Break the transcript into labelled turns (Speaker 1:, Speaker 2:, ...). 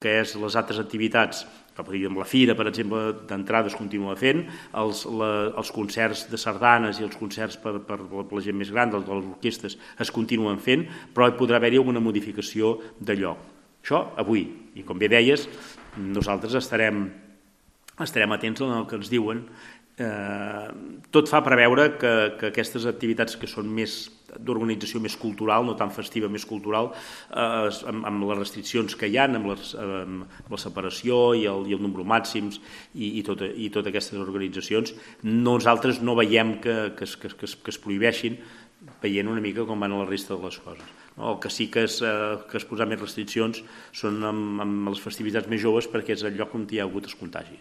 Speaker 1: que és les altres activitats, amb la fira, per exemple, d'entrada es continua fent, els concerts de sardanes i els concerts per la gent més gran, de les orquestres, es continuen fent, però hi podrà haver-hi alguna modificació de lloc. Això avui, i com bé deies, nosaltres estarem atents al que ens diuen. Tot fa preveure que aquestes activitats que són més d'organització més cultural, no tan festiva, més cultural, amb les restriccions que hi ha, amb la separació i el número màxims i totes aquestes organitzacions, nosaltres no veiem que es prohibeixin, veient una mica com van a la resta de les coses. El que sí que es posa més restriccions són amb les festivitats més joves, perquè és el lloc on hi ha hagut els contagis.